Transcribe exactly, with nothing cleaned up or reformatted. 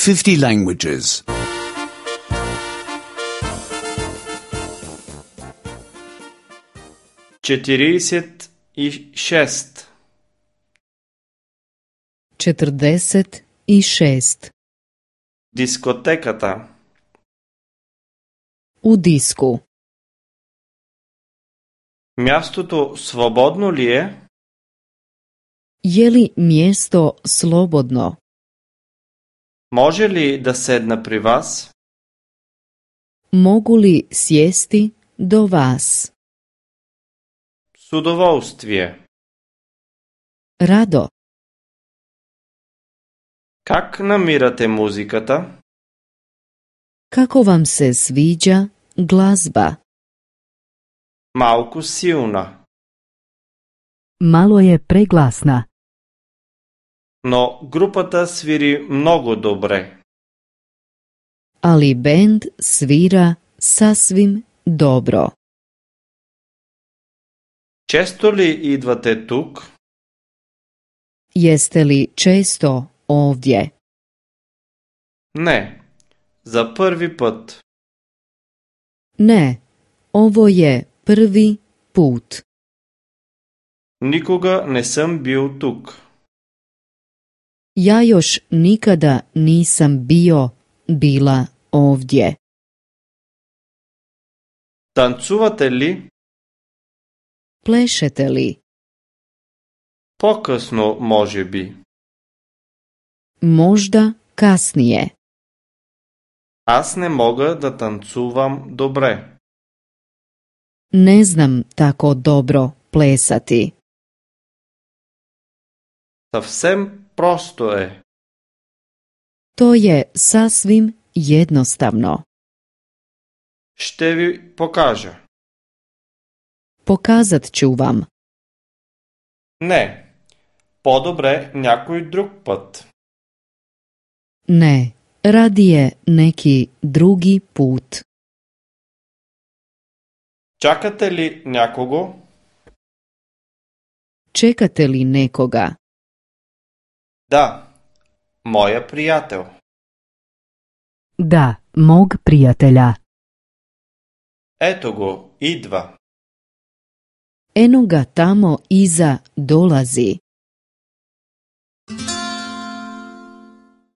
fifty languages. четиридесет и шест. Četrdeset i šest. Дискотеката. U disku. Мястото свободно ли е? Je li mjesto slobodno? Може ли да седна при вас? Mogu li sjesti do vas? С удоволствие. Rado. Как намирате музиката? Kako vam se sviđa glazba? Малко силна, Malo je preglasna, но групата свири много добре. ali bend svira sasvim dobro. Често ли идвате тук? Jeste li često ovdje? Не, за първи път. Ne, ovo je prvi put. Никога не съм бил тук. Ja još nikada nisam bio, bila ovdje. Танцувате ли? Plešete li? По-късно, може би. Možda kasnije. Аз не мога да танцувам добре. Ne znam tako dobro plesati. Съвсем просто е. To je sasvim jednostavno. Ще ви покажа. Pokazat ću vam. Не, по-добре някой друг път. Ne, radije neki drugi put. Чакате ли някого? Čekate li nekoga? Да, моя приятел. Da, mog prijatelja. Ето го, идва. Eno ga tamo iza dolazi.